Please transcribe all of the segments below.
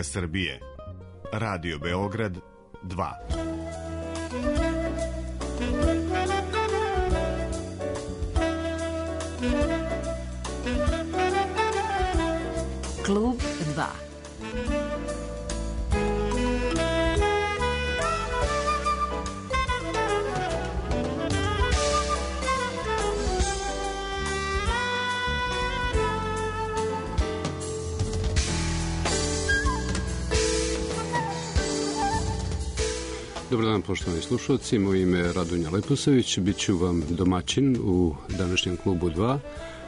Srbije. Radio Beograd 2. Klub 2. Dobar dan, poštovani slušalci. Moje ime je Radonja Leposavić. Biću vam domaćin u današnjem klubu 2.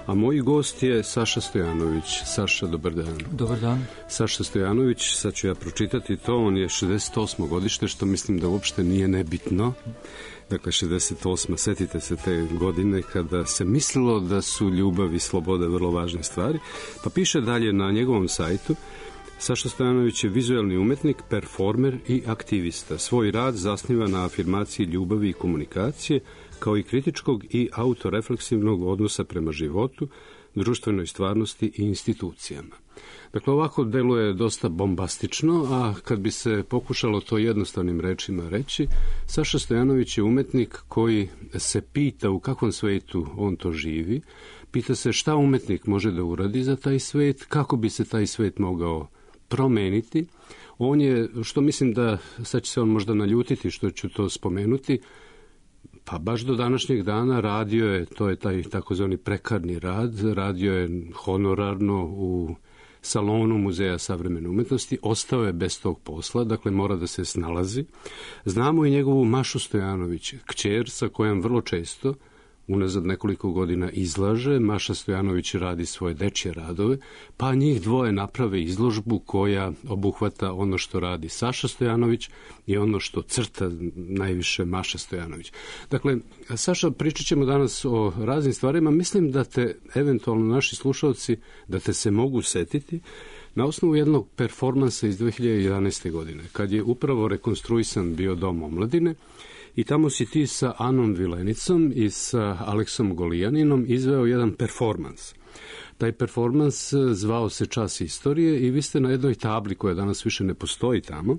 A moj gost je Saša Stojanović. Saša, dobar dan. Dobar dan. Saša Stojanović, sad ću ja pročitati to, on je 68. godište, što mislim da uopšte nije nebitno. Dakle, 68. Setite se te godine kada se mislilo da su ljubav i sloboda vrlo važne stvari. Pa piše dalje na njegovom sajtu: Saša Stojanović je vizualni umetnik, performer i aktivista. Svoj rad zasniva na afirmaciji ljubavi i komunikacije, kao i kritičkog i autorefleksivnog odnosa prema životu, društvenoj stvarnosti i institucijama. Dakle, ovako deluje dosta bombastično, a kad bi se pokušalo to jednostavnim rečima reći, Saša Stojanović je umetnik koji se pita u kakvom svetu on to živi, pita se šta umetnik može da uradi za taj svet, kako bi se taj svet mogao promeniti. On je, što mislim da, sad će se on možda naljutiti što ću to spomenuti, pa baš do današnjeg dana radio je, to je taj takozvani prekarni rad, radio je honorarno u salonu Muzeja savremene umetnosti, ostao je bez tog posla, dakle mora da se snalazi. Znamo i njegovu Mašu Stojanović, kćer sa kojom vrlo često unazad nekoliko godina izlaže. Maša Stojanović radi svoje dečje radove, pa njih dvoje naprave izložbu koja obuhvata ono što radi Saša Stojanović i ono što crta najviše Maša Stojanović. Dakle, Saša, pričat ćemo danas o raznim stvarima. Mislim da te, eventualno naši slušalci, da te se mogu setiti na osnovu jednog performansa iz 2011. godine, kad je upravo rekonstruisan bio Dom omladine. I tamo si ti sa Anom Vilenicom i sa Aleksom Golijaninom izveo jedan performans. Taj performans zvao se Čas istorije i vi ste na jednoj tabli koja danas više ne postoji tamo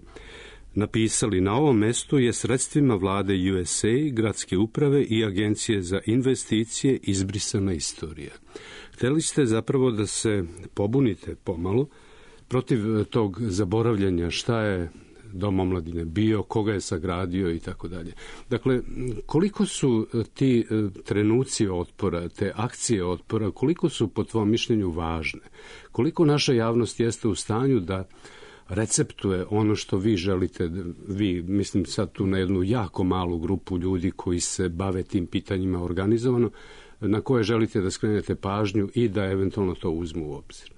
napisali: na ovom mestu je sredstvima vlade USA, gradske uprave i agencije za investicije izbrisana istorija. Hteli ste zapravo da se pobunite pomalo protiv tog zaboravljanja šta je Dom omladine bio, koga je sagradio i tako dalje. Dakle, koliko su ti trenuci otpora, te akcije otpora, koliko su po tvom mišljenju važne? Koliko naša javnost jeste u stanju da receptuje ono što vi želite, vi, mislim sad tu na jednu jako malu grupu ljudi koji se bave tim pitanjima organizovano, na koje želite da skrenete pažnju i da eventualno to uzmu u obzir?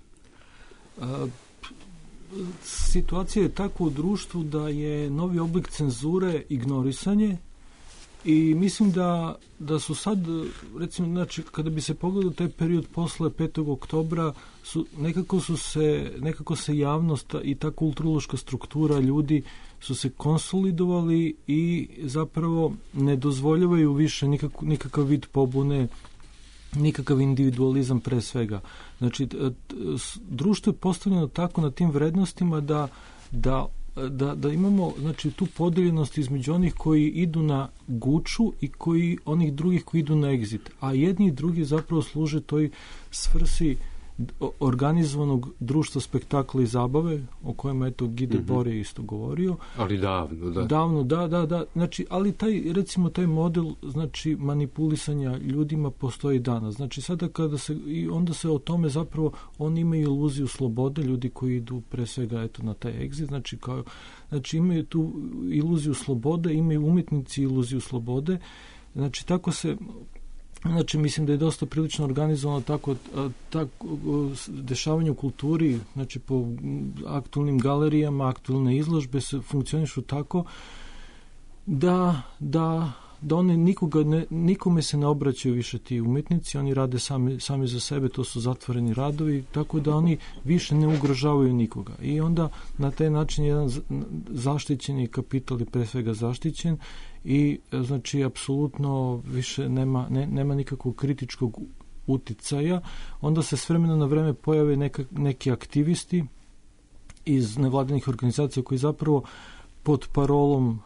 Situacija je tako u društvu da je novi oblik cenzure ignorisanje i mislim da su sad, recimo, znači, kada bi se pogledao taj period posle 5. oktobra, nekako se javnost i ta kulturološka struktura ljudi su se konsolidovali i zapravo ne dozvoljavaju više nikakav vid pobune, nikakav individualizam pre svega. Znači, društvo je postavljeno tako na tim vrednostima da imamo, znači, tu podeljenost između onih koji idu na guču i onih drugih koji idu na egzit. A jedni i drugi zapravo služe toj svrsi organizovanog društva spektakla i zabave, o kojima je to Gide Bore isto govorio. Ali davno, da. Davno, da. Znači, ali taj model, znači, manipulisanja ljudima postoji danas. Znači, sada onda se o tome zapravo, oni imaju iluziju slobode, ljudi koji idu pre svega na taj exit, znači imaju tu iluziju slobode, imaju umetnici iluziju slobode, znači tako se. Znači, mislim da je dosta prilično organizovano tako dešavanje u kulturi, znači po aktualnim galerijama, aktualne izložbe se funkcionišu tako da one nikome se ne obraćaju više ti umetnici, oni rade sami za sebe, to su zatvoreni radovi, tako da oni više ne ugrožavaju nikoga. I onda na taj način jedan zaštićeni kapital je pre svega zaštićen i znači apsolutno više nema nikakvog kritičkog uticaja. Onda se s vremena na vreme pojave neki aktivisti iz nevladinih organizacija koji zapravo pod parolom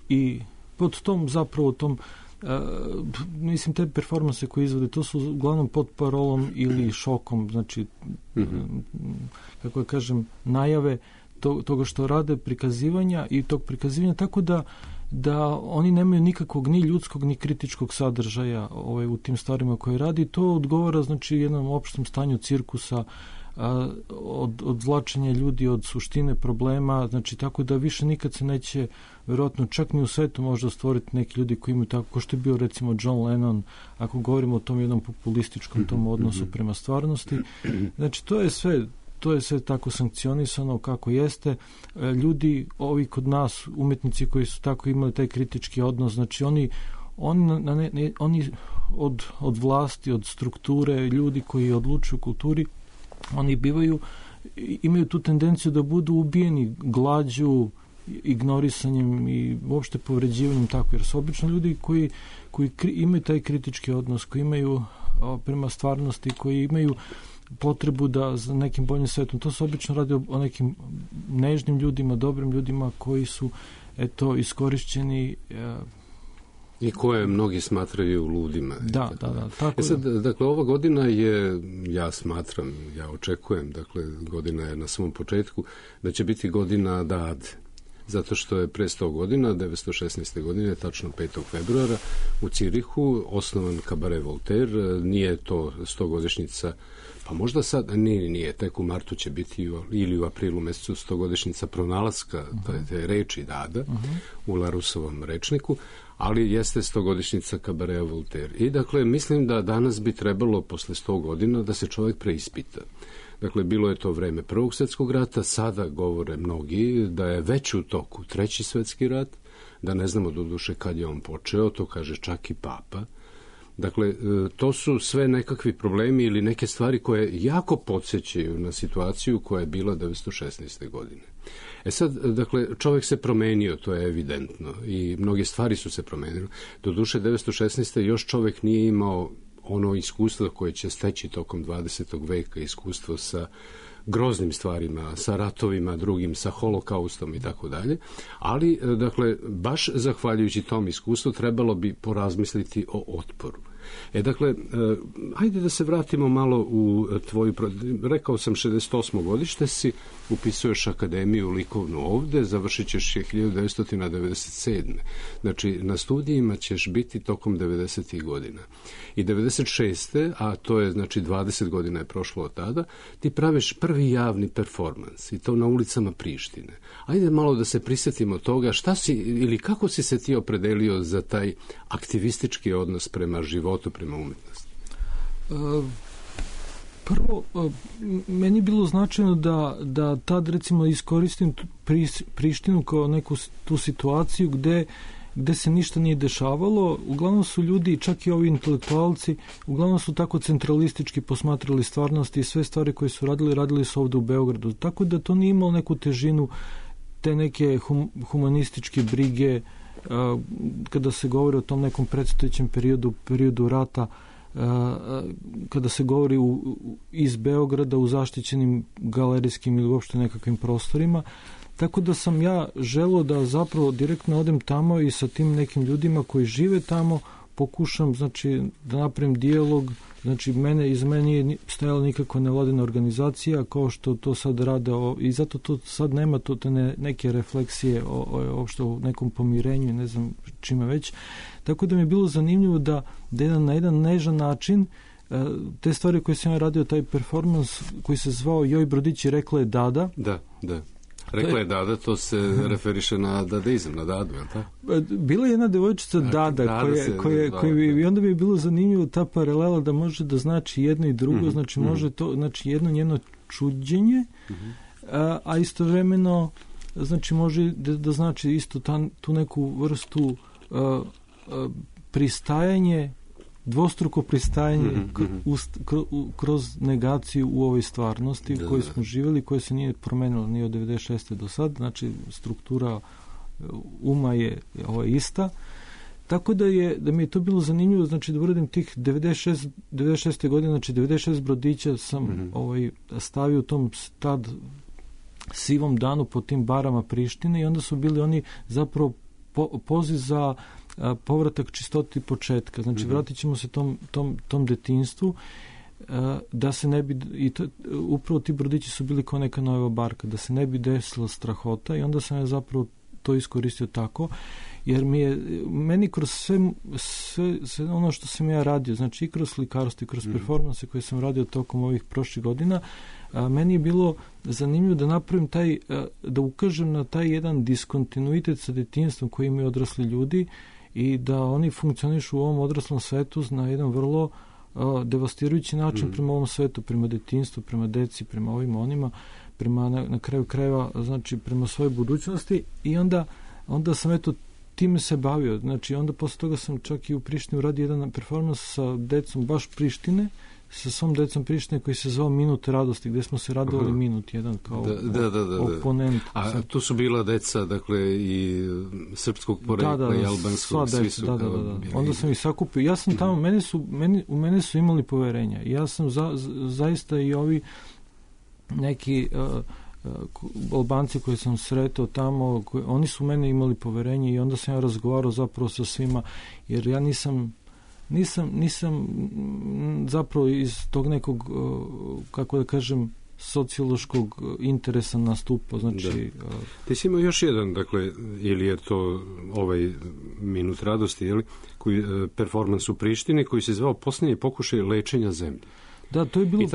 i pod tom zapravo tom mislim te performanse koje izvode, to su uglavnom pod parolom ili šokom, znači kako ja kažem, najave toga što rade, prikazivanja i tog prikazivanja, tako da oni nemaju nikakvog ni ljudskog ni kritičkog sadržaja u tim stvarima koje radi. To odgovara znači jednom opštem stanju cirkusa, odvlačenja ljudi od suštine problema, znači tako da više nikad se neće verovatno čak ni u svetu možda stvoriti neki ljudi koji imaju tako, ko što je bio recimo John Lennon, ako govorimo o tom jednom populističkom tom odnosu prema stvarnosti. Znači to je sve tako sankcionisano kako jeste. Ljudi, ovi kod nas, umetnici koji su tako imali taj kritički odnos, znači oni od vlasti, od strukture, ljudi koji odlučuju u kulturi, oni imaju tu tendenciju da budu ubijeni glađu, ignorisanjem i uopšte povređivanjem tako, jer su obično ljudi koji imaju taj kritički odnos, koji imaju prema stvarnosti, koji imaju potrebu da za nekim boljim svetom. To se obično radi o nekim nežnim ljudima, dobrim ljudima koji su iskorišćeni i koje mnogi smatraju ludima. Da. Tako sad, dakle, ova godina je, ja očekujem, dakle, godina je na svom početku, da će biti godina Dade. Zato što je pre 100 godina, 1916. godine, tačno 5. februara, u Cirihu osnovan Kabaret Voltaire. Nije to 100-godišnjica, pa možda sad, nije, tek u martu će biti ili u aprilu mesecu 100-godišnjica pronalaska te reči Dada u Larusovom rečniku, ali jeste 100-godišnjica Kabareta Voltaire. I dakle, mislim da danas bi trebalo posle 100 godina da se čovjek preispita. Dakle, bilo je to vreme Prvog svjetskog rata, sada govore mnogi da je već u toku Treći svjetski rat, da ne znamo doduše kad je on počeo, to kaže čak i Papa. Dakle, to su sve nekakvi problemi ili neke stvari koje jako podsjećaju na situaciju koja je bila 1916. godine. Sad, dakle, čovjek se promenio, to je evidentno, i mnoge stvari su se promenile. Doduše, 1916. još čovjek nije imao ono iskustvo koje će steći tokom 20. veka, iskustvo sa groznim stvarima, sa ratovima drugim, sa holokaustom i tako dalje, ali, dakle, baš zahvaljujući tom iskustvu trebalo bi porazmisliti o otporu. Dakle, ajde da se vratimo malo u tvoju, rekao sam 68. godište si, upisuješ akademiju likovnu ovde, završit ćeš je 1997. Znači, na studijima ćeš biti tokom 90. godina. I 96. a to je, znači, 20 godina je prošlo od tada, ti praviš prvi javni performans i to na ulicama Prištine. Ajde malo da se prisjetimo toga šta si ili kako si se ti opredelio za taj aktivistički odnos prema životu, prema umetnosti? Prvo, meni je bilo značajno da tad recimo iskoristim Prištinu kao neku tu situaciju gde se ništa nije dešavalo. Uglavnom su ljudi, čak i ovi intelektualci, uglavnom su tako centralistički posmatrali stvarnosti i sve stvari koje su radili su ovde u Beogradu. Tako da to nije imalo neku težinu te neke humanističke brige kada se govori o tom nekom predstojećem periodu rata, kada se govori iz Beograda u zaštićenim galerijskim ili uopšte nekakvim prostorima. Tako da sam ja želeo da zapravo direktno odem tamo i sa tim nekim ljudima koji žive tamo pokušam, znači, da napravim dijalog. Znači, iza mene nije stajala nikakva nevladina organizacija kao što to sad rade i zato to sad nema neke refleksije uopšte o nekom pomirenju i ne znam čime već. Tako da mi je bilo zanimljivo da na jedan nežan način te stvari koje sam ja radio, taj performans koji se zvao Joj Brodić i rekla je Dada. Da. Rekla je Dada, to se referiše na dadaizam, na Dadu, je li tako? Bila je jedna devojčica Dada, i onda bi je bilo zanimljivo ta paralela da može da znači jedno i drugo, znači može to, znači jedno njeno čuđenje, a istovremeno znači može da znači isto tu neku vrstu pristajanje, dvostruko pristajanje kroz negaciju u ovoj stvarnosti u kojoj smo živjeli, koja se nije promenila ni od 96. do sad, znači struktura uma je ista. Tako da mi je to bilo zanimljivo, znači da uradim tih 96. godine, znači 96 brodića sam stavio u tom tad sivom danu po tim barama Prištine i onda su bili oni zapravo poziv za povratak čistoti početka. Znači, vratit ćemo se tom detinjstvu, da se ne bi, upravo ti brodići su bili kao neka nova barka, da se ne bi desila strahota i onda sam ja zapravo to iskoristio tako, jer meni kroz sve ono što sam ja radio, znači i kroz slikarstvo i kroz performanse koje sam radio tokom ovih prošlih godina, meni je bilo zanimljivo da napravim da ukažem na taj jedan diskontinuitet sa detinjstvom koji imaju odrasli ljudi i da oni funkcionišu u ovom odraslom svetu na jedan vrlo devastirajući način prema ovom svetu, prema detinjstvu, prema deci, prema ovim onima, prema na kraju krajeva, znači prema svojoj budućnosti i onda sam time se bavio. Znači onda posle toga sam čak i u Prištini uradio jedan performans sa decom baš Prištine, sa svom decom Prištine koji se zvao Minut radosti, gde smo se radovali minut jedan kao oponent. A tu su bila deca, dakle, i srpskog porekla i albanskog, svi su kao... Onda sam ih sakupio. Ja sam tamo, u mene su imali poverenja. Ja sam zaista i ovi neki Albanci koji sam sretao tamo, oni su u mene imali poverenje i onda sam ja razgovarao zapravo sa svima, jer ja nisam zapravo iz tog nekog, kako da kažem, sociološkog interesa nastupao. Znači, ti si imao još jedan, dakle, ili je to ovaj Minut radosti, ili performans u Prištini koji se zvao Posljednji pokušaj lečenja zemlje. Da, to je bilo...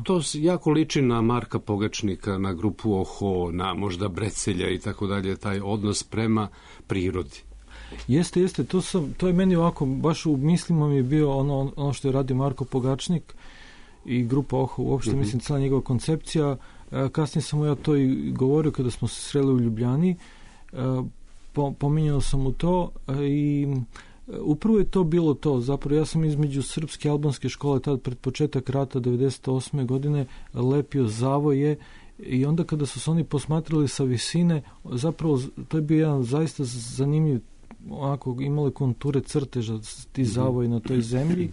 To jako liči na Marka Pogačnika, na grupu Oho, na možda Brecelja i tako dalje, taj odnos prema prirodi. Jeste, to je meni ovako, baš u mislima mi je bio ono što je radio Marko Pogačnik i grupa Oho, uopšte mislim cijela njegova koncepcija. Kasnije sam mu ja to i govorio kada smo se sreli u Ljubljani, pominjao sam mu to i upravo je to bilo to. Zapravo ja sam između srpske i albanske škole tad pred početak rata 98. godine lepio zavoje i onda kada su se oni posmatrali sa visine, zapravo to je bio jedan zaista zanimljiv, onako imale konture crteža ti zavoji na toj zemlji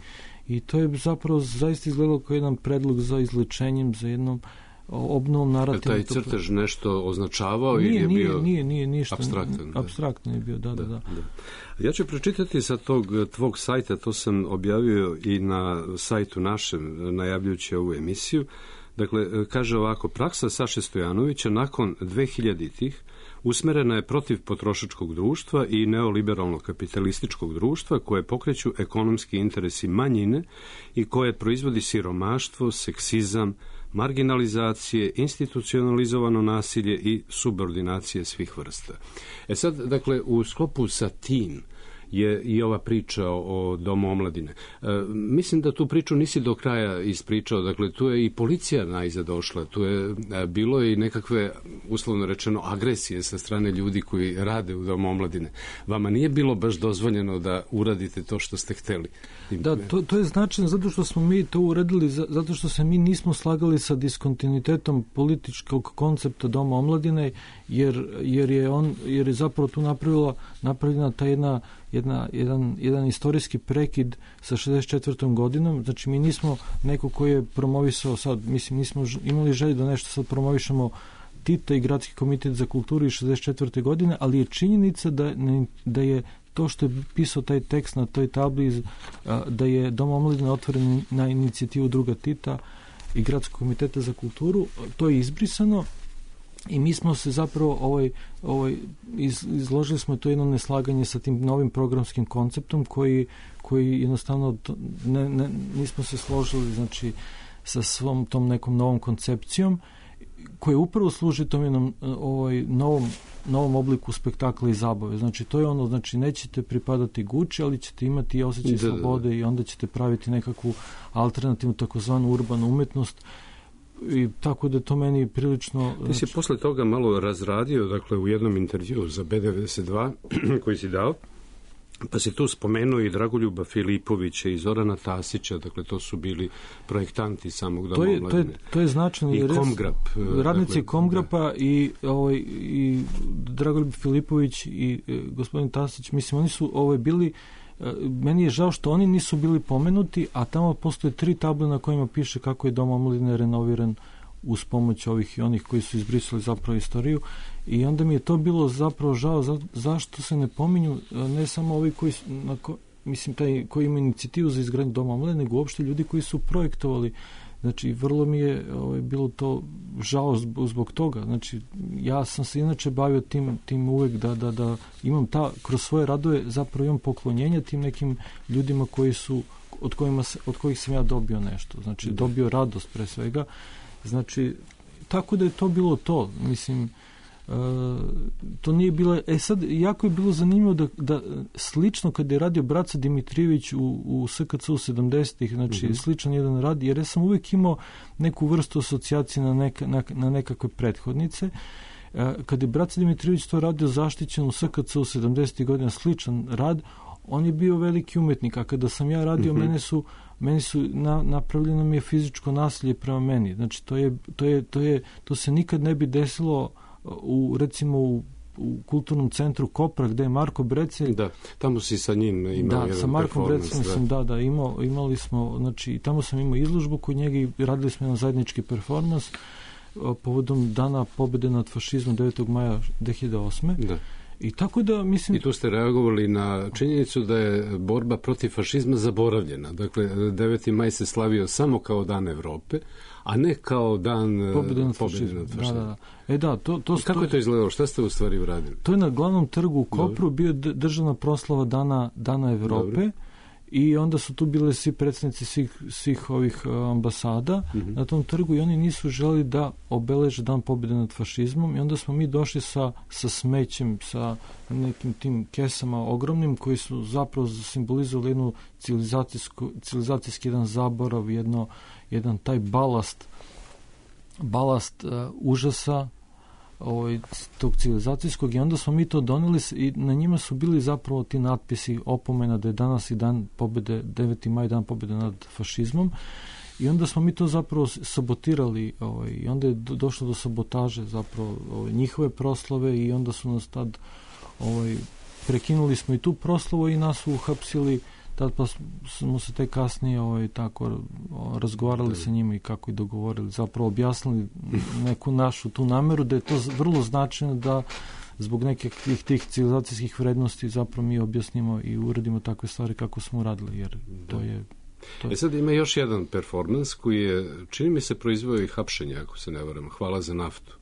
i to je zapravo zaista izgledalo kao jedan predlog za izlečenjem, za jednom obnovom narativa. Taj crtež nešto označavao ili je bio nije ništa apstraktan? Apstraktno je bio, da. Ja ću pročitati sa tog tvog sajta, to sam objavio i na sajtu našem, najavljujući ovu emisiju. Dakle, kaže ovako, praksa Saše Stojanovića nakon 2000-ih usmerena je protiv potrošačkog društva i neoliberalnog kapitalističkog društva koje pokreću ekonomski interesi manjine i koje proizvodi siromaštvo, seksizam, marginalizacije, institucionalizovano nasilje i subordinacije svih vrsta. Sad, dakle, u sklopu sa tim je i ova priča o Domu omladine. Mislim da tu priču nisi do kraja ispričao, dakle tu je i policija najzad došla, tu je bilo i nekakve, uslovno rečeno, agresije sa strane ljudi koji rade u Domu omladine. Vama nije bilo baš dozvoljeno da uradite to što ste hteli? Da, to je značajno zato što smo mi to uradili, zato što se mi nismo slagali sa diskontinuitetom političkog koncepta Doma omladine, jer je zapravo tu napravljena ta jedan istorijski prekid sa 64. godinom. Znači mi nismo neko koji je promovisao sad, mislim nismo imali želju da nešto sad promovišemo Tita i Gradski komitet za kulturu iz 64. godine, ali je činjenica da je to što je pisao taj tekst na toj tabli, da je Dom omladine otvoren na inicijativu druga Tita i Gradskog komiteta za kulturu, to je izbrisano i mi smo se zapravo izložili smo to jedno neslaganje sa tim novim programskim konceptom koji jednostavno nismo se složili, znači sa svom tom nekom novom koncepcijom koja upravo služi tom jednom novom obliku spektakla i zabave. Znači to je ono, znači nećete pripadati Gucci, ali ćete imati osjećaj slobode i onda ćete praviti nekakvu alternativnu takozvanu urbanu umetnost. I tako da to meni prilično... Ti si posle toga malo razradio, dakle, u jednom intervjuu za B92 koji si dao, pa si tu spomenuo i Dragoljuba Filipovića i Zorana Tasića, dakle, to su bili projektanti samog Doma omladine. To je značajno. I Komgrap. Radnici dakle, Komgrapa i Dragoljub Filipović i gospodin Tasić, mislim, oni su bili... Meni je žao što oni nisu bili pomenuti, a tamo postoje 3 table na kojima piše kako je Dom omladine renoviran uz pomoć ovih i onih koji su izbrisali zapravo istoriju, i onda mi je to bilo zapravo žao zašto se ne pominju ne samo ovi koji koji ima inicijativu za izgradnju doma omladine, nego uopšte ljudi koji su projektovali. Znači, vrlo mi je bilo to žao zbog toga. Znači, ja sam se inače bavio tim uvek da imam kroz svoje radove zapravo imam poklonjenja tim nekim ljudima koji su, od kojih sam ja dobio nešto. Znači, dobio radost pre svega. Znači, tako da je to bilo to. Mislim, to nije bilo... sad, jako je bilo zanimljivo da slično kada je radio Braca Dimitrijević u SKC-u 70-ih, znači sličan jedan rad, jer ja sam uvijek imao neku vrstu asocijacije na nekakve prethodnice. Kada je Braca Dimitrijević to radio zaštićen u SKC-u 70-ih godina, sličan rad, on je bio veliki umetnik, a kada sam ja radio, meni su napravljeno mi je fizičko nasilje prema meni. Znači, to se nikad ne bi desilo recimo u kulturnom centru Kopra, gde je Marko Brecelj. Da, tamo si sa njim imao jedan performans. Da, sa Markom Breceljem sam, imali smo, znači, tamo sam imao izložbu kod njega i radili smo jedan zajednički performans povodom Dana pobede nad fašizmom 9. maja 2008. Da. I tako da, mislim... I tu ste reagovali na činjenicu da je borba protiv fašizma zaboravljena. Dakle, 9. maj se slavio samo kao Dan Evrope, a ne kao dan pobjede nad fašizmom. Da. Kako je to izgledalo? Šta ste u stvari uradili? To je na glavnom trgu u Kopru bio državna proslava Dana Evrope. Dobro. I onda su tu bile svi predstavnici svih ovih ambasada na tom trgu i oni nisu želeli da obeleže Dan pobjede nad fašizmom i onda smo mi došli sa smećem, sa nekim tim kesama ogromnim koji su zapravo simbolizovali jednu civilizacijski jedan zaborav, jedan taj balast užasa tog civilizacijskog, i onda smo mi to doneli i na njima su bili zapravo ti natpisi opomena da je danas i dan pobjede, 9. maj, dan pobjede nad fašizmom, i onda smo mi to zapravo sabotirali i onda je došlo do sabotaže zapravo njihove proslave i onda su nas tad prekinuli smo i tu proslavu i nas su uhapsili. Tad pa smo se tek kasnije tako razgovarali sa njima i kako i dogovorili, zapravo objasnili neku našu tu nameru da je to vrlo značajno da zbog nekih tih civilizacijskih vrednosti zapravo mi objasnimo i uradimo takve stvari kako smo uradili, jer to je... Sad ima još jedan performans koji je, čini mi se, proizveo i hapšenje, ako se ne varam, Hvala za naftu.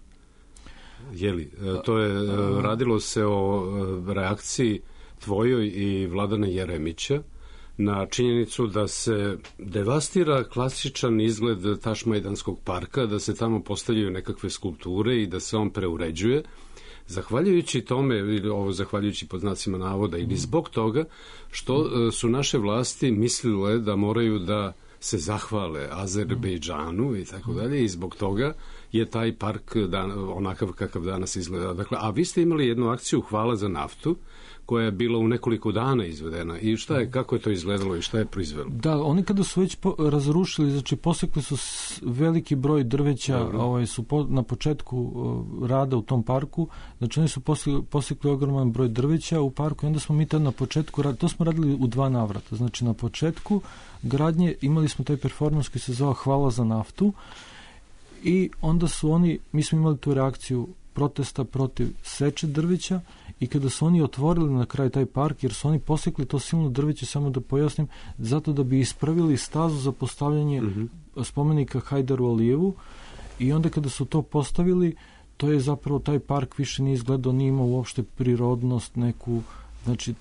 To je, radilo se o reakciji tvojoj i Vladana Jeremića na činjenicu da se devastira klasičan izgled Tašmajdanskog parka, da se tamo postavljaju nekakve skulpture i da se on preuređuje. Zahvaljujući tome, zahvaljujući pod znacima navoda, ili zbog toga što su naše vlasti mislile da moraju da se zahvale Azerbejdžanu i tako dalje, i zbog toga je taj park onakav kakav danas izgleda. Dakle, a vi ste imali jednu akciju Hvala za naftu, koja je bila u nekoliko dana izvedena. I kako je to izgledalo i šta je proizvelo? Da, oni kada su već razrušili, znači posekli su veliki broj drveća, su na početku rada u tom parku, znači oni su posekli ogroman broj drveća u parku i onda smo mi tad na početku, to smo radili u 2 navrata. Znači na početku gradnje imali smo taj performans koji se zvao Hvala za naftu i onda mi smo imali tu reakciju protesta protiv seče drveća i kada su oni otvorili na kraju taj park, jer su oni posekli to silno drveće, samo da pojasnim, zato da bi ispravili stazu za postavljanje spomenika Hajdaru Alijevu, i onda kada su to postavili, to je zapravo taj park više nije izgledao, nije imao uopšte prirodnost neku, znači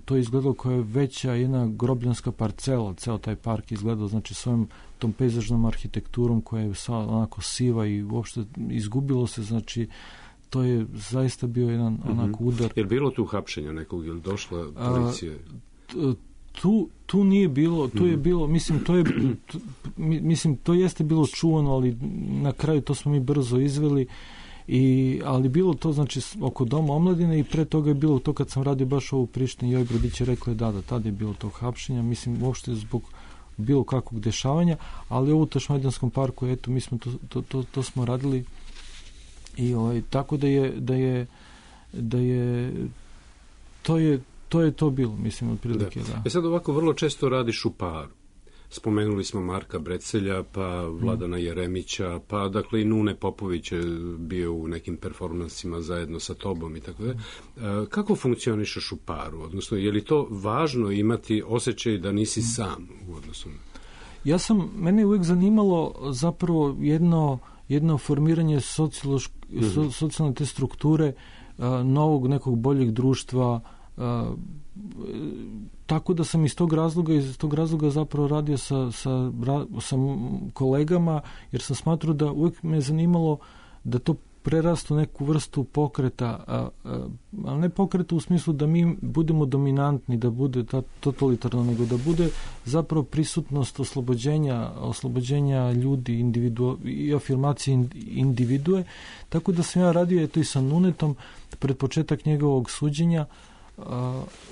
to je izgledalo koja je veća jedna grobljanska parcela, ceo taj park izgledao, znači svojom tom pejzažnom arhitekturom koja je onako siva i uopšte izgubilo se, znači to je zaista bio jedan onako udar. Je li bilo tu hapšenja nekog ili došla policija? Tu nije bilo, tu je bilo, mislim, to jeste bilo čuvano, ali na kraju to smo mi brzo izveli. Ali bilo to, znači, oko Doma omladine, i pre toga je bilo to kad sam radio baš ovo u Prištini, Joj Brodić je rekla da tad je bilo tog hapšenja, mislim, uopšte zbog bilo kakvog dešavanja, ali ovo u Tašmajdanskom parku, eto, mi smo to smo radili i tako da je to je to bilo, mislim, otprilike, da. Sad ovako vrlo često radiš u paru. Spomenuli smo Marka Brecelja, pa Vladana Jeremića, pa dakle i Nune Popović je bio u nekim performansima zajedno sa tobom i tako da. Kako funkcionišeš u paru? Odnosno, je li to važno imati osjećaj da nisi sam u odnosu? Mene je uvijek zanimalo zapravo jedno formiranje socijalne te strukture, novog nekog boljeg društva, tako da sam iz tog razloga zapravo radio sa kolegama, jer sam smatrao da uvijek me je zanimalo da to prerastu neku vrstu pokreta, ali ne pokreta u smislu da mi budemo dominantni, da bude totalitarno, nego da bude zapravo prisutnost oslobođenja ljudi i afirmacije individue. Tako da sam ja radio eto i sa Nunetom pred početak njegovog suđenja,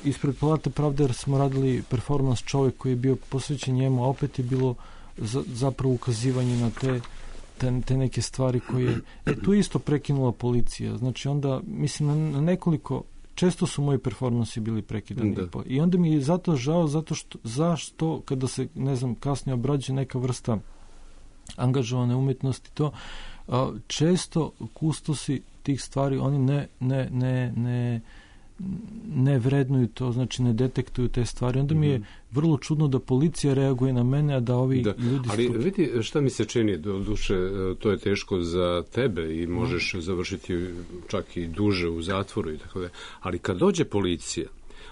ispred Palate pravde, jer smo radili performans Čovjek koji je bio posvećen njemu, a opet je bilo zapravo ukazivanje na te neke stvari koje... tu je isto prekinula policija. Znači onda, mislim, na nekoliko... Često su moji performansi bili prekidani. I onda mi je zato žao, zašto kada se, ne znam, kasnije obrađuje neka vrsta angažovane umjetnosti, to često kustosi tih stvari, oni ne vrednuju to, znači ne detektuju te stvari. Onda mi je vrlo čudno da policija reaguje na mene, a da ovi ljudi... Ali vidi šta mi se čini, do duše to je teško za tebe i možeš završiti čak i duže u zatvoru i tako da. Ali kad dođe policija,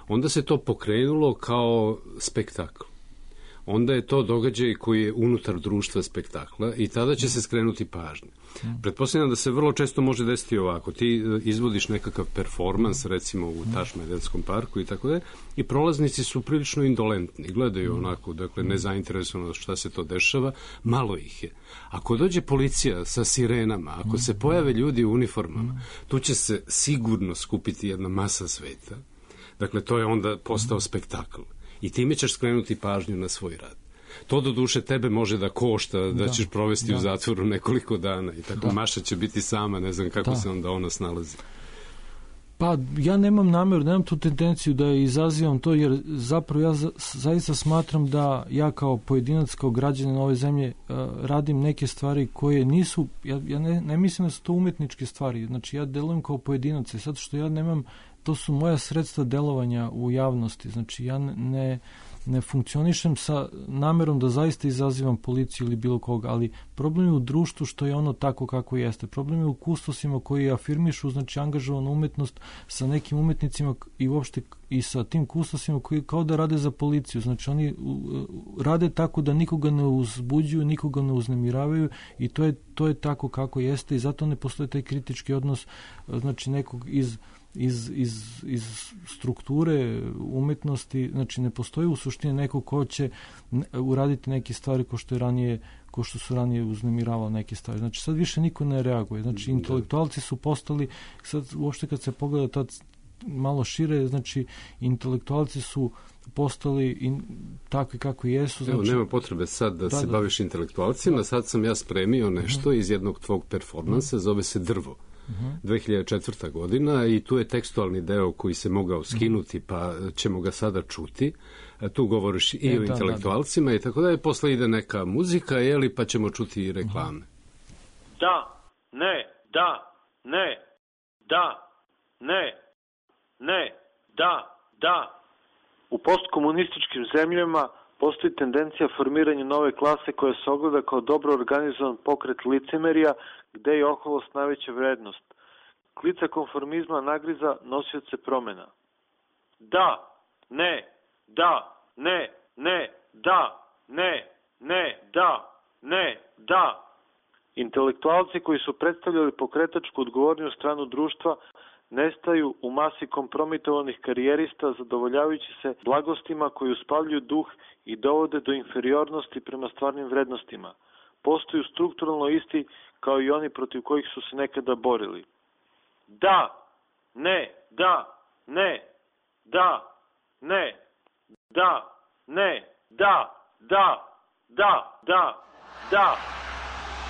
onda se to pokrenulo kao spektakl. Onda je to događaj koji je unutar društva spektakla i tada će se skrenuti pažnja. Pretpostavljam da se vrlo često može desiti ovako. Ti izvodiš nekakav performans, recimo u Tašmajdenskom parku i tako da, i prolaznici su prilično indolentni. Gledaju onako, dakle, nezainteresovano šta se to dešava. Malo ih je. Ako dođe policija sa sirenama, ako se pojave ljudi u uniformama, tu će se sigurno skupiti jedna masa sveta. Dakle, to je onda postao spektakl. I time ćeš skrenuti pažnju na svoj rad. To do duše tebe može da košta, da ćeš provesti u zatvoru nekoliko dana i tako Maša će biti sama, ne znam kako se onda ona snalazi. Pa ja nemam tu tendenciju da izazivam to, jer zapravo ja zaista smatram da ja kao pojedinac, kao građanin ove zemlje radim neke stvari koje nisu, ja ne mislim da su to umjetničke stvari, znači ja delujem kao pojedinac i sad što ja nemam, to su moja sredstva delovanja u javnosti, znači ja ne funkcionišem sa namerom da zaista izazivam policiju ili bilo koga, ali problem je u društvu što je ono tako kako jeste. Problem je u kustosima koji afirmišu, znači angažovanu umjetnost sa nekim umjetnicima i uopšte i sa tim kustosima koji kao da rade za policiju. Znači oni rade tako da nikoga ne uzbuđuju, nikoga ne uznemiravaju i to je tako kako jeste i zato ne postoji taj kritički odnos, znači nekog iz strukture umjetnosti, znači ne postoji u suštini neko ko će uraditi neke stvari ko što su ranije uznemiravali neke stvari. Znači sad više niko ne reaguje. Znači intelektualci su postali, sad uopšte kad se pogleda tad malo šire, znači intelektualci su postali takvi kako jesu. Znači, nema potrebe sad da se baviš intelektualcima, sad sam ja spremio nešto iz jednog tvog performansa, zove se Drvo. 2004. godina i tu je tekstualni deo koji se mogao skinuti, pa ćemo ga sada čuti. Tu govoriš i o intelektualcima i tako da je, posle ide neka muzika, pa ćemo čuti i reklame. Da, ne, da, ne, da, ne, ne, da. U postkomunističkim zemljama postoji tendencija formiranja nove klase koja se ogleda kao dobro organizovan pokret licemerija, gde je oholost najveća vrednost. Klica konformizma nagriza nosioce promena. Da, ne, da, ne, ne, da, ne, ne, da, ne, da. Intelektualci koji su predstavljali pokretačku odgovorniju stranu društva nestaju u masi kompromitovanih karijerista zadovoljavajući se blagostima koji uspavljuju duh i dovode do inferiornosti prema stvarnim vrednostima. Postaju strukturalno isti kao i oni protiv kojih su se nekada borili. Da, ne, da, ne, da, ne, da, ne, da, da, da, da, da.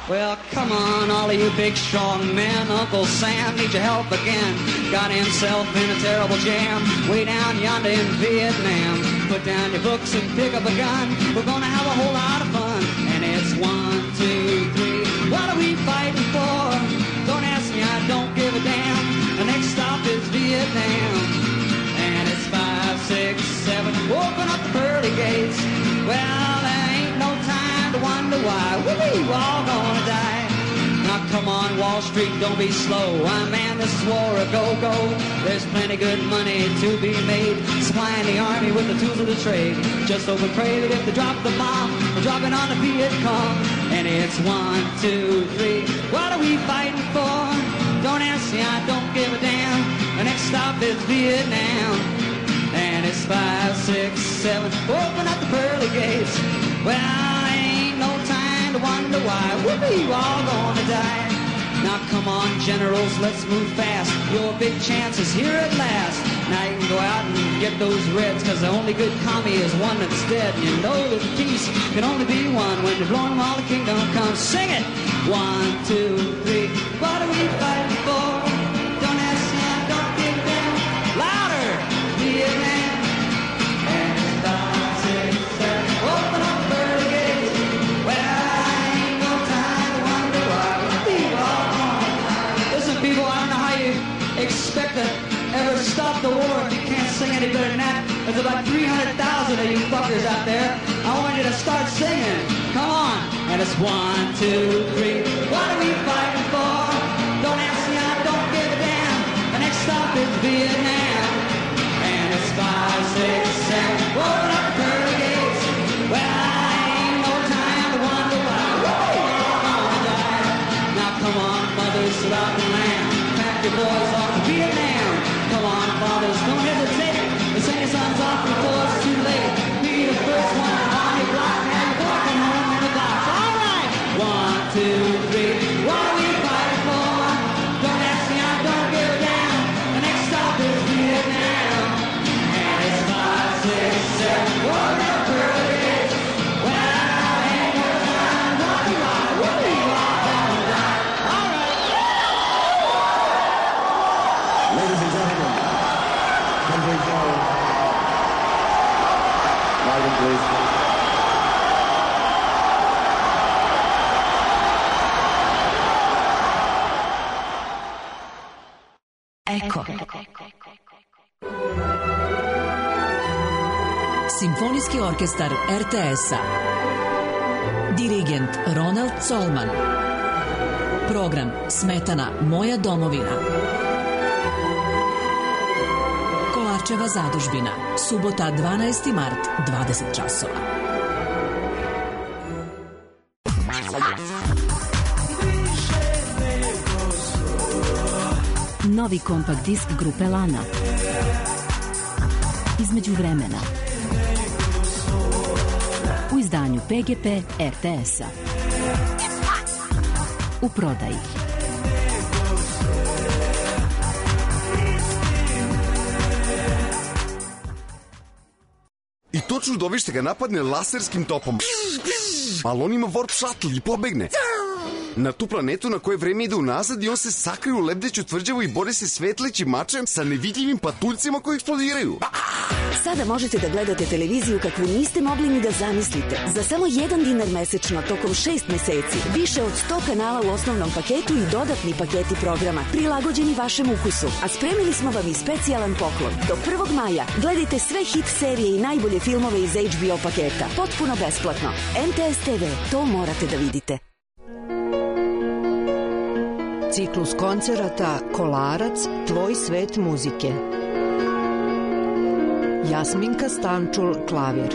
Well, come on, all of you big, strong men. Uncle Sam needs your help again. Got himself in a terrible jam way down yonder in Vietnam. Put down your books and pick up a gun. We're gonna have a whole lot of fun. And it's 1, 2, 3. What are we fighting for? Don't ask me, I don't give a damn. The next stop is Vietnam. And it's 5, 6, 7. Open up the pearly gates. Well, there ain't no time to wonder why. We're all gonna die. Now come on, Wall Street, don't be slow. Man, this is war a go-go. There's plenty good money to be made, supplying the army with the tools of the trade. Just hope and pray that if they drop the bomb, we're dropping on the Viet Cong. And it's 1, 2, 3. What are we fighting for? Don't ask me, I don't give a damn. The next stop is Vietnam. And it's 5, 6, 7. Open up the pearly gates. Well, ain't no time to wonder why. We're all gonna die. Now come on, generals, let's move fast. Your big chance is here at last. Now you can go out and get those reds, cause the only good commie is one that's dead. And you know that peace can only be won when you've blown them all the kingdom comes. Sing it! 1, 2, 3. What are we fighting for? Don't ask me, I don't give a damn. Louder! Vietnam. And it's 5, 6, 7. Open up the pearly gates. Well, I ain't no time to wonder why. We're all gonna die. Listen, people, I don't know how you expect to ever stop the war if you can't sing any better than that. There's about 300,000 of you fuckers out there. I want you to start singing. Come on. And it's 1, 2, 3. What are we fighting for? Don't ask me, I don't give a damn. The next stop is Vietnam. And it's 5, 6, 7. Open up the pearly gates. Well, I ain't no time to wonder why. We're all gonna die. Now come on, mothers throughout the land. Pack your boys off to Vietnam. Come on, fathers, don't hesitate. Send your sons off before it's too late. Be the first one on your block. Have your walking home in the box. All right. 1, 2, 3. What are we fighting for? Don't ask me, I don't give a damn. The next stop is Vietnam. And it's 5, 6, 7. Open up the pearly gates. Well, ain't no time to wonder why. We're all gonna die. All right. Ladies and gentlemen, Henry Jones. Marvin, please. Eko. Simfonijski orkestar RTS-a. Dirigent Ronald Colman. Program Smetana Moja domovina. Kolarčeva zadužbina. Subota 12. mart, 20 časova. Novi kompakt disk grupe Lana. Između vremena. U izdanju PGP RTS-a. U prodaji. I to čudovište ga napadne laserskim topom. Ali on ima warp shuttle i pobegne na tu planetu na koje vreme ide unazad i on se sakrije u lebdeću tvrđavu i bori se svetlećim mačem sa nevidljivim patuljcima koji eksplodiraju. Sada možete da gledate televiziju kakvu niste mogli ni da zamislite. Za samo $1 mesečno tokom 6 meseci. Više od 100 kanala u osnovnom paketu i dodatni paketi programa prilagođeni vašem ukusu. A spremili smo vam i specijalan poklon. Do 1. maja gledajte sve hit serije i najbolje filmove iz HBO paketa. Potpuno besplatno. MTS TV, to morate da vidite. Ciklus koncerata Kolarac, tvoj svet muzike. Jasminka Stančul, klavir.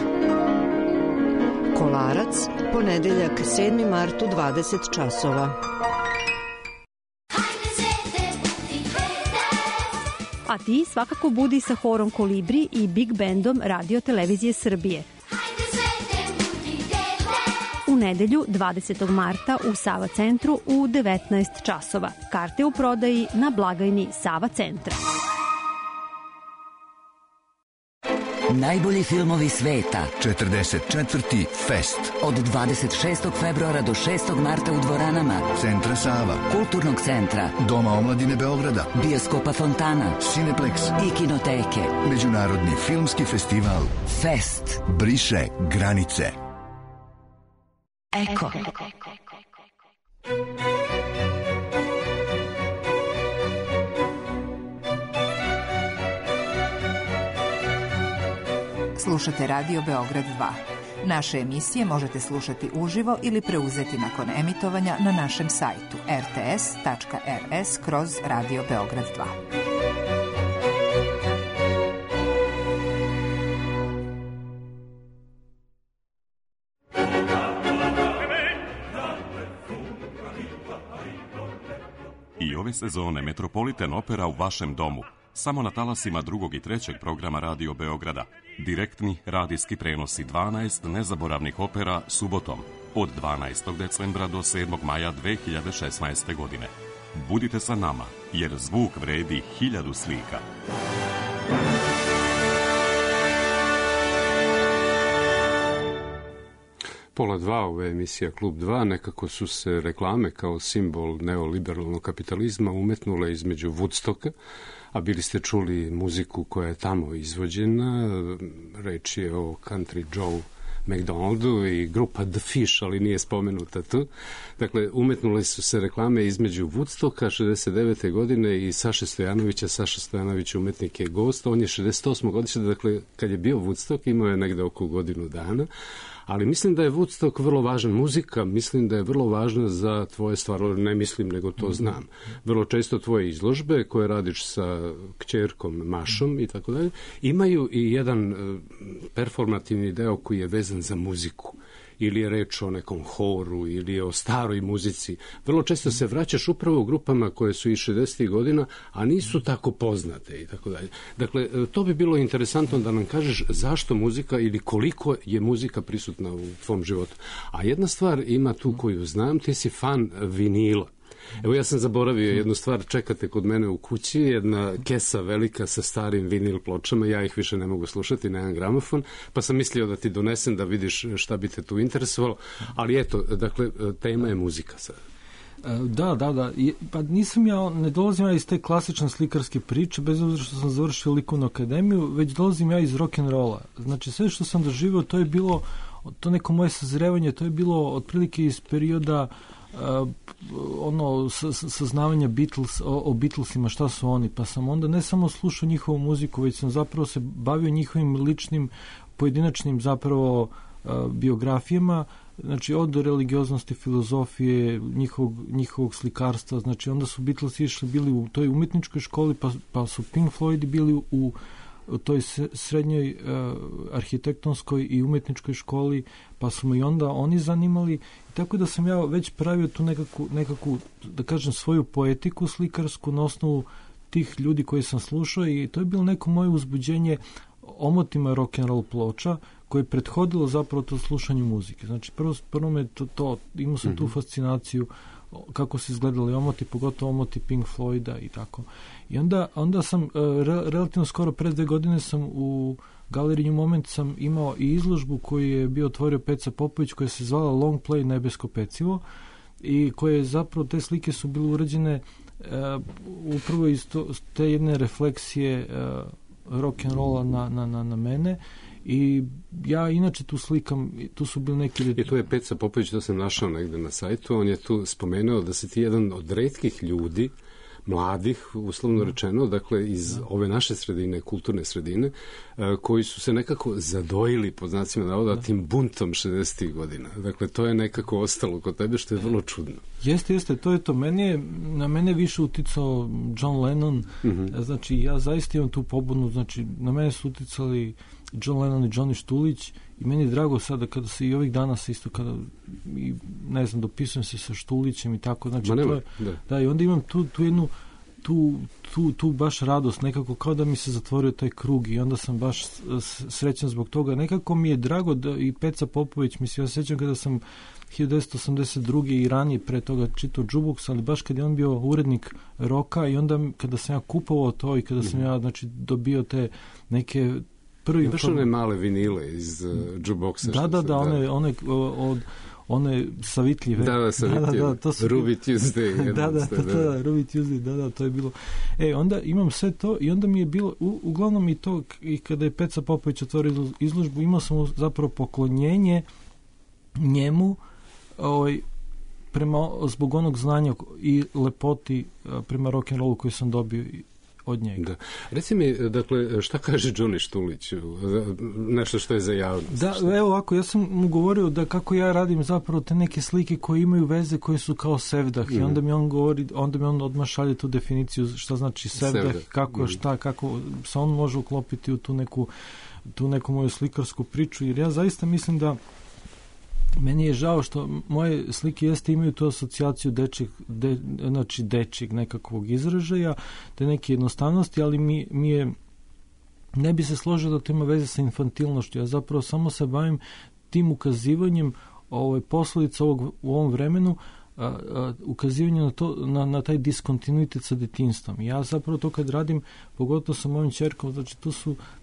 Kolarac, ponedeljak 7. mart u 20 časova. A ti svakako budi sa horom Kolibri i Big Bandom Radio Televizije Srbije. U nedelju 20. marta u Sava centru u 19 časova. Karte u prodaji na blagajni Sava centra. Najbolji filmovi sveta. 44. Fest. Od 26. februara do 6. marta u dvoranama Centra Sava, Kulturnog centra, Doma omladine Beograda, Bioskopa Fontana, Cineplex i Kinoteke. Međunarodni filmski festival Fest. Briše granice. Eko. Slušate Radio Beograd 2. Naše emisije možete slušati uživo ili preuzeti nakon emitovanja na našem sajtu rts.rs/Radio Beograd 2. I ove sezone Metropolitan Opera u vašem domu. Samo na talasima 2. i 3. programa Radio Beograda. Direktni radijski prenosi 12 nezaboravnih opera subotom od 12. decembra do 7. maja 2016. godine. Budite sa nama, jer zvuk vredi 1000 slika. Pola 2, ova emisija Klub 2, nekako su se reklame kao simbol neoliberalnog kapitalizma umetnule između Woodstocka, a bili ste čuli muziku koja je tamo izvođena, reč je o Country Joe McDonaldu i grupa The Fish, ali nije spomenuta tu. Dakle, umetnule su se reklame između Woodstocka 69. godine i Saše Stojanovića. Saša Stojanović umetnik je gost, on je 68. godište, dakle, kad je bio Woodstock, imao je negde oko godinu dana, ali mislim da je Woodstock vrlo važan. Muzika, mislim da je vrlo važna za tvoje stvari, ne mislim, nego to znam. Vrlo često tvoje izložbe koje radiš sa kćerkom Mašom i tako dalje, imaju i jedan performativni deo koji je vezan za muziku. Ili je reč o nekom horu, ili je o staroj muzici. Vrlo često se vraćaš upravo u grupama koje su iz 60. godina, a nisu tako poznate i tako dalje. Dakle, to bi bilo interesantno da nam kažeš zašto muzika ili koliko je muzika prisutna u tvom životu. A jedna stvar ima tu koju znam, ti si fan vinila. Evo, ja sam zaboravio jednu stvar, čekate kod mene u kući, jedna kesa velika sa starim vinil pločama, ja ih više ne mogu slušati, nemam gramofon, pa sam mislio da ti donesem da vidiš šta bi te tu interesovalo, ali eto, dakle, tema je muzika sad. Da. Pa ne dolazim ja iz te klasične slikarske priče, bez obzira što sam završio likovnu akademiju, već dolazim ja iz rock'n'rolla. Znači, sve što sam doživio, to je bilo, to neko moje sazrevanje, to je bilo otprilike iz perioda saznavanja o Beatlesima, šta su oni, pa sam onda ne samo slušao njihovu muziku, već sam zapravo se bavio njihovim ličnim, pojedinačnim zapravo biografijama, znači od religioznosti, filozofije, njihovog slikarstva, znači onda su Beatlesi bili u toj umetničkoj školi, pa su Pink Floydi bili u toj srednjoj arhitektonskoj i umetničkoj školi, pa su me i onda oni zanimali, tako da sam ja već pravio tu nekakvu, da kažem, svoju poetiku slikarsku na osnovu tih ljudi koji sam slušao, i to je bilo neko moje uzbuđenje omotima rock'n'roll ploča koje je prethodilo zapravo to slušanju muzike. Znači, prvo me to imao sam tu fascinaciju kako su izgledali omoti, pogotovo omoti Pink Floyda i tako. I onda sam relativno skoro, pre 2 godine sam u Galeriji New Moment sam imao i izložbu koju je bio otvorio Peca Popović, koja se zvala Long Play Nebesko pecivo, i koje zapravo, te slike su bile urađene upravo iz te jedne refleksije rock'n'rolla na mene. I ja inače tu slikam, tu su bili neki... I tu je Peca Popović, to sam našao negde na sajtu, on je tu spomenuo da si ti jedan od retkih ljudi, mladih, uslovno rečeno, dakle iz ove naše sredine, kulturne sredine, koji su se nekako zadojili, pod znacima navoda, tim buntom 60. godina. Dakle, to je nekako ostalo kod tebe, što je vrlo čudno. Jeste, to je to. Na mene više uticao John Lennon, znači ja zaista imam tu pobudnu, znači na mene su uticali John Lennon i Johnny Štulić, i meni je drago sada kada se i ovih dana se isto kada, ne znam, dopisujem se sa Štulićem i tako, znači to je, da, i onda imam tu jednu tu baš radost, nekako kao da mi se zatvorio taj krug, i onda sam baš srećan zbog toga. Nekako mi je drago da i Peca Popović, mislim, ja se sjećam kada sam 1982. i ranije pre toga čitao Jukebox, ali baš kad je on bio urednik roka, i onda kada sam ja kupovao to i kada sam ja, znači, dobio te neke prvi... Imaš one male vinile iz jukeboxa? One savitljive. Da, to su... Ruby Tuesday. Da, Ruby Tuesday, to je bilo. Onda imam sve to i onda mi je bilo, uglavnom i to, i kada je Peca Popović otvorio izložbu, imao sam zapravo poklonjenje njemu, zbog onog znanja i lepoti prema rock'n'rollu koji sam dobio od njega. Da. Reci mi, dakle, šta kaže Johnny Štulić? Nešto što je za javnost. Da, evo ovako, ja sam mu govorio da kako ja radim zapravo te neke slike koje imaju veze, koje su kao sevdah i onda mi on govori, onda mi on odmah šalje tu definiciju šta znači sevdah, kako, kako se on može uklopiti u tu neku moju slikarsku priču, jer ja zaista mislim da meni je žao što moje slike imaju tu asocijaciju dečjeg nekakvog izražaja, te neke jednostavnosti, ali mi je, ne bi se složio da to ima veze sa infantilnošću. Ja zapravo samo se bavim tim ukazivanjem posledica u ovom vremenu, ukazivanje na taj diskontinuitet sa detinjstvom. Ja zapravo to kad radim, pogotovo sa mojim ćerkom, znači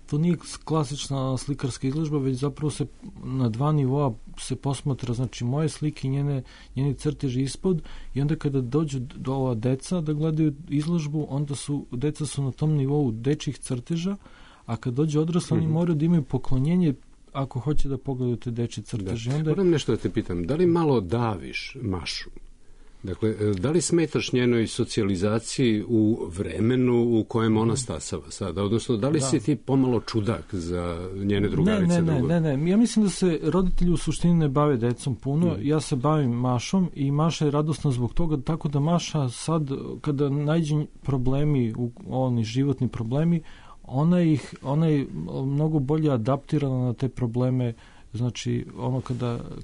to nije klasična slikarska izložba, već zapravo se na dva nivoa se posmatra, znači moje slike i njeni crteži ispod, i onda kada dođu do ova deca da gledaju izložbu, onda deca su na tom nivou dečjih crteža, a kad dođe odrasli, oni moraju da imaju poklonjenje ako hoće da pogledaju te dečje crteže. Moram nešto da te pitam, da li malo daviš Mašu? Dakle, da li smetaš njenoj socijalizaciji u vremenu u kojem ona stasava sada? Odnosno, da li si ti pomalo čudak za njene drugarice? Ne. Ja mislim da se roditelji u suštini ne bave decom puno. Ja se bavim Mašom i Maša je radosna zbog toga, tako da Maša sad, kada nađe problemi, oni životni problemi, ona je mnogo bolje adaptirana na te probleme. Znači, ono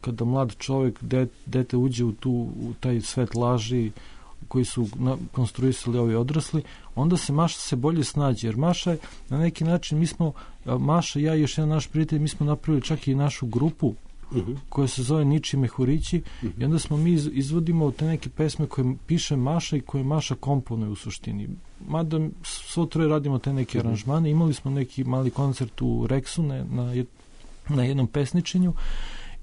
kada mlad čovjek, dete uđe u taj svet laži koji su konstruisali ovi odrasli, onda se Maša bolje snađe, jer Maša je na neki način, Maša, ja i još jedan naš prijatelj, mi smo napravili čak i našu grupu koja se zove Niči Mehurići, i onda smo mi izvodimo te neke pesme koje piše Maša i koje Maša komponuje u suštini. Mada svo troje radimo te neke aranžmane, imali smo neki mali koncert u Reksu na jednom pesničenju,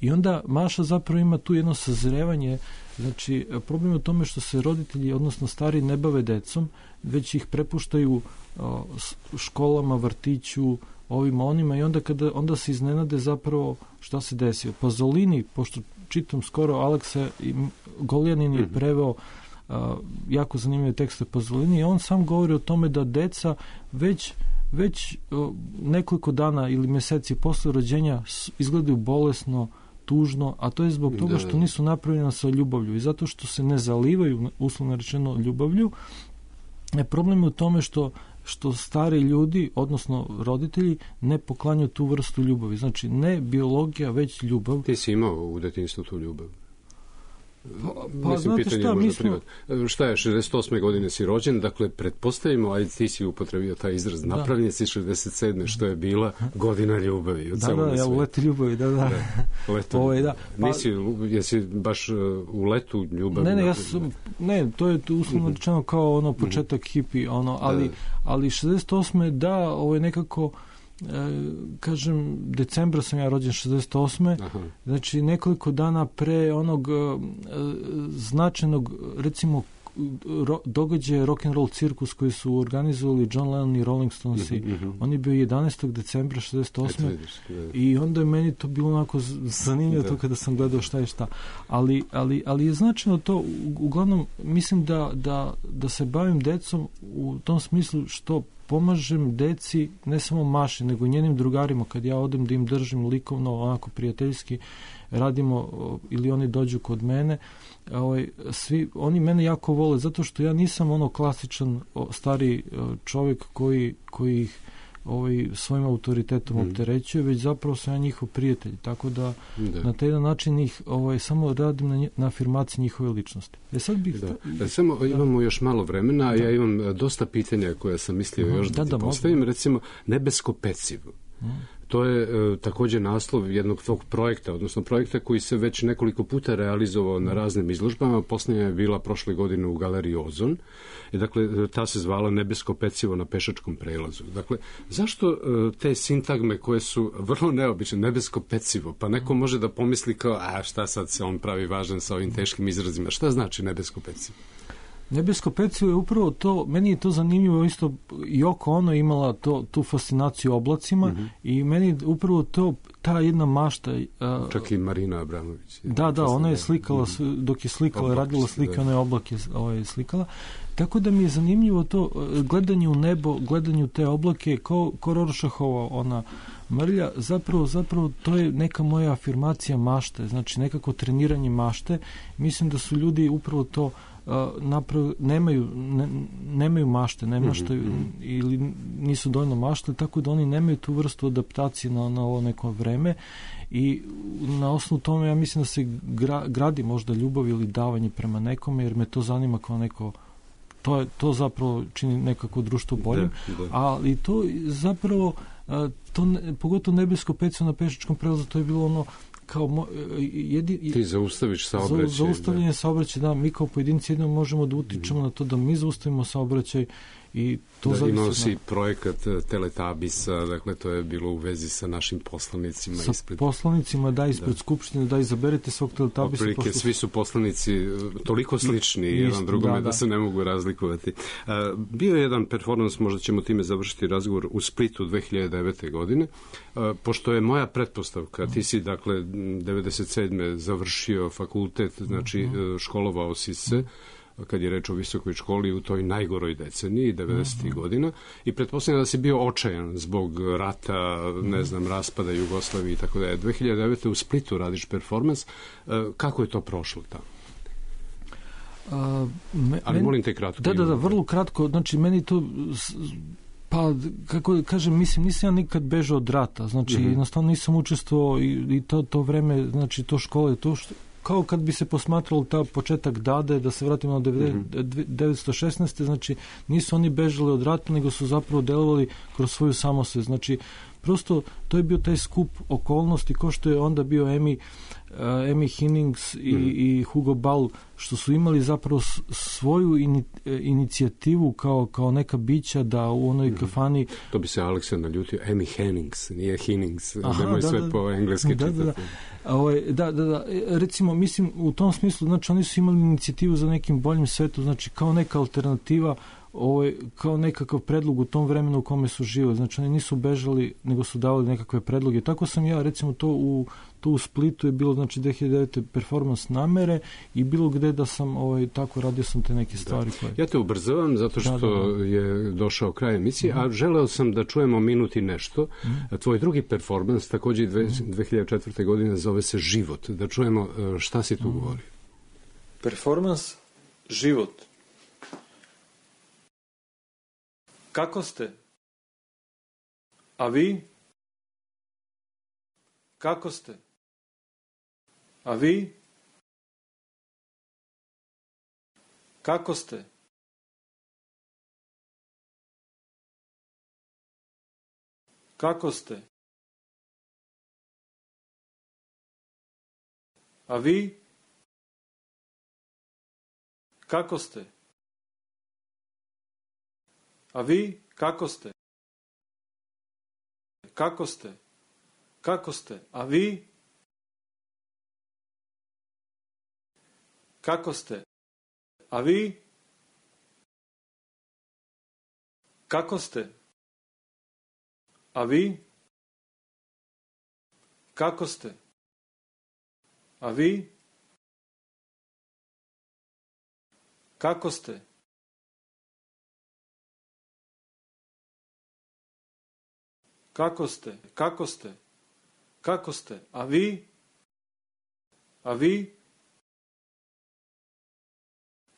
i onda Maša zapravo ima tu jedno sazrevanje. Znači, problem je u tome što se roditelji, odnosno stari, ne bave decom, već ih prepuštaju školama, vrtiću, ovima, onima, i onda se iznenade zapravo šta se desio. Pasolini, pošto čitam skoro, Aleksa Goljanin je preveo jako zanimljive tekste Pasolini, i on sam govori o tome da deca već nekoliko dana ili mjeseci posle rođenja izgledaju bolesno, tužno, a to je zbog toga što nisu napravljena sa ljubavlju, i zato što se ne zalivaju, uslovno rečeno, ljubavlju. Problem je u tome što stari ljudi, odnosno roditelji, ne poklanjaju tu vrstu ljubavi. Znači, ne biologija, već ljubav. Ti si imao u detinjstvu tu ljubav? Pa znate šta, šta je, 68. godine si rođen, dakle, pretpostavimo, a ti si upotrebio taj izraz, napravljen si 67. što je bila godina ljubavi. Ja u letu ljubavi, Jesi baš u letu ljubavi? Ne, to je uslovno rečeno kao početak hipi, ali 68. nekako, kažem, decembra sam ja rođen 68. Znači nekoliko dana pre onog značajnog, recimo, događaja rock'n'roll cirkus koji su organizovali John Lennon i Rolling Stonesi. On je bio 11. decembra 68. I onda je meni to bilo onako zanimljivo to kada sam gledao šta je šta. Ali je značajno to, uglavnom, mislim da se bavim decom u tom smislu što pomažem deci, ne samo Maši, nego njenim drugarima, kad ja odem da im držim likovno, onako prijateljski, radimo, ili oni dođu kod mene, oni mene jako vole, zato što ja nisam klasičan stari čovjek koji ih svojim autoritetom opterećuje, već zapravo sam ja njihov prijatelj, tako da na taj jedan način ih samo radim na afirmaciji njihove ličnosti. Samo imamo još malo vremena, a ja imam dosta pitanja koja sam mislio još da ti postavim, recimo nebesko pecivo. To je također naslov jednog tog projekta, odnosno projekta koji se već nekoliko puta realizovao na raznim izložbama. Posljednja je bila prošle godine u galeriji Ozon. I dakle, ta se zvala Nebesko pecivo na pešačkom prelazu. Dakle, zašto te sintagme koje su vrlo neobične, nebesko pecivo, pa neko može da pomisli kao, a šta sad se on pravi važan sa ovim teškim izrazima. Šta znači nebesko pecivo? Nebesko pecivo je upravo to, meni je to zanimljivo, isto Yoko Ono imala tu fascinaciju oblacima i meni upravo to, ta jedna mašta... Čak i Marina Abramović. Da, ona je slikala, dok je slikala, radila slike, ona je oblake slikala. Tako da mi je zanimljivo to gledanje u nebo, gledanje u te oblake, ko Rorschachova ona mrlja, zapravo to je neka moja afirmacija mašte, znači nekako treniranje mašte. Mislim da su ljudi upravo to nemaju mašte, ili nisu dovoljno mašte, tako da oni nemaju tu vrstu adaptacije na ovo neko vreme i na osnovu tome ja mislim da se gradi možda ljubav ili davanje prema nekome, jer me to zanima kao neko, to zapravo čini nekako društvo boljim, ali to zapravo pogotovo Nebesko pecivo na pešačkom prelazu, to je bilo ono kao ti zaustaviš saobraćaj. Zaustavljanje saobraćaja, da, mi kao pojedinci jedino možemo da utičemo na to da mi zaustavimo saobraćaj i to zavisi. Imao si projekat Teletabisa, dakle to je bilo u vezi sa našim poslanicima. Poslanicima, da, ispred Skupštine, da izaberete svog Teletabisa. Otprilike, svi su poslanici toliko slični jedan drugome da se ne mogu razlikovati. Bio je jedan performans, možda ćemo time završiti razgovor, u Splitu 2009. godine, pošto je moja pretpostavka, ti si dakle 97. završio fakultet, znači školovao si se, kad je reč o visokoj školi u toj najgoroj deceniji, 90. godina, i pretpostavljam da si bio očajan zbog rata, raspada Jugoslavije i tako da je. 2009. u Splitu radiš performans. Kako je to prošlo tamo? Ali molim te kratko. Da, vrlo kratko. Znači, meni to... Pa, kako kažem, mislim, nisam ja nikad bežao od rata. Znači, jednostavno nisam učestvovao i to vreme, znači, to škole, to što... Kao kad bi se posmatralo ta početak Dade, da se vratimo na 1916. Znači, nisu oni bežali od rata, nego su zapravo delovali kroz svoju samosvest. Znači, prosto to je bio taj skup okolnosti, ko što je onda bio Amy Hennings i Hugo Ball, što su imali zapravo svoju inicijativu kao neka bića da u onoj kafani... To bi se Aleksa naljutio, Amy Hennings, nije Hennings, nemoj sve po engleski čitati. Da. Recimo, mislim, u tom smislu, znači, oni su imali inicijativu za nekim boljim svetom, znači, kao neka alternativa, kao nekakav predlog u tom vremenu u kome su živjeli. Znači, oni nisu bežali, nego su davali nekakve predloge. Tako sam ja, recimo, to u Splitu je bilo, znači, 2009. performans namere i bilo gde da sam, tako radio sam te neke stvari. Ja te ubrzavam zato što je došao kraj emisije, a želeo sam da čujemo minut i nešto. Tvoj drugi performans, također 2004. godine, zove se Život. Da čujemo šta si tu govorio. Performans Život. Kako ste? A vi? Kako ste? A vi? Kako ste? Kako ste? A vi? Kako ste? A vi? Kako ste? Kako ste? Kako ste? A vi? Kako ste? A vi? Kako ste? A vi? Kako ste? A vi? Kako ste? Kako ste? Kako ste? Kako ste? A vi? A vi?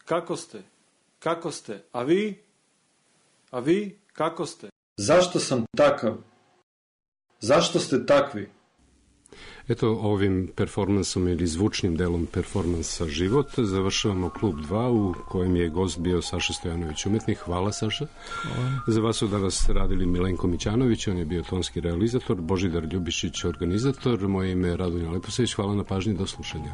Kako ste? Kako ste? A vi? A vi? Kako ste? Zašto sam takav? Zašto ste takvi? Eto, ovim performansom ili zvučnim delom performansa Život završavamo Klub 2 u kojem je gost bio Saša Stojanović, umetnik. Hvala, Saša. Hvala. Za vas su danas radili Milenko Mićanović, on je bio tonski realizator, Božidar Ljubišić organizator, moje ime je Radonja Leposević. Hvala na pažnji, do slušanja.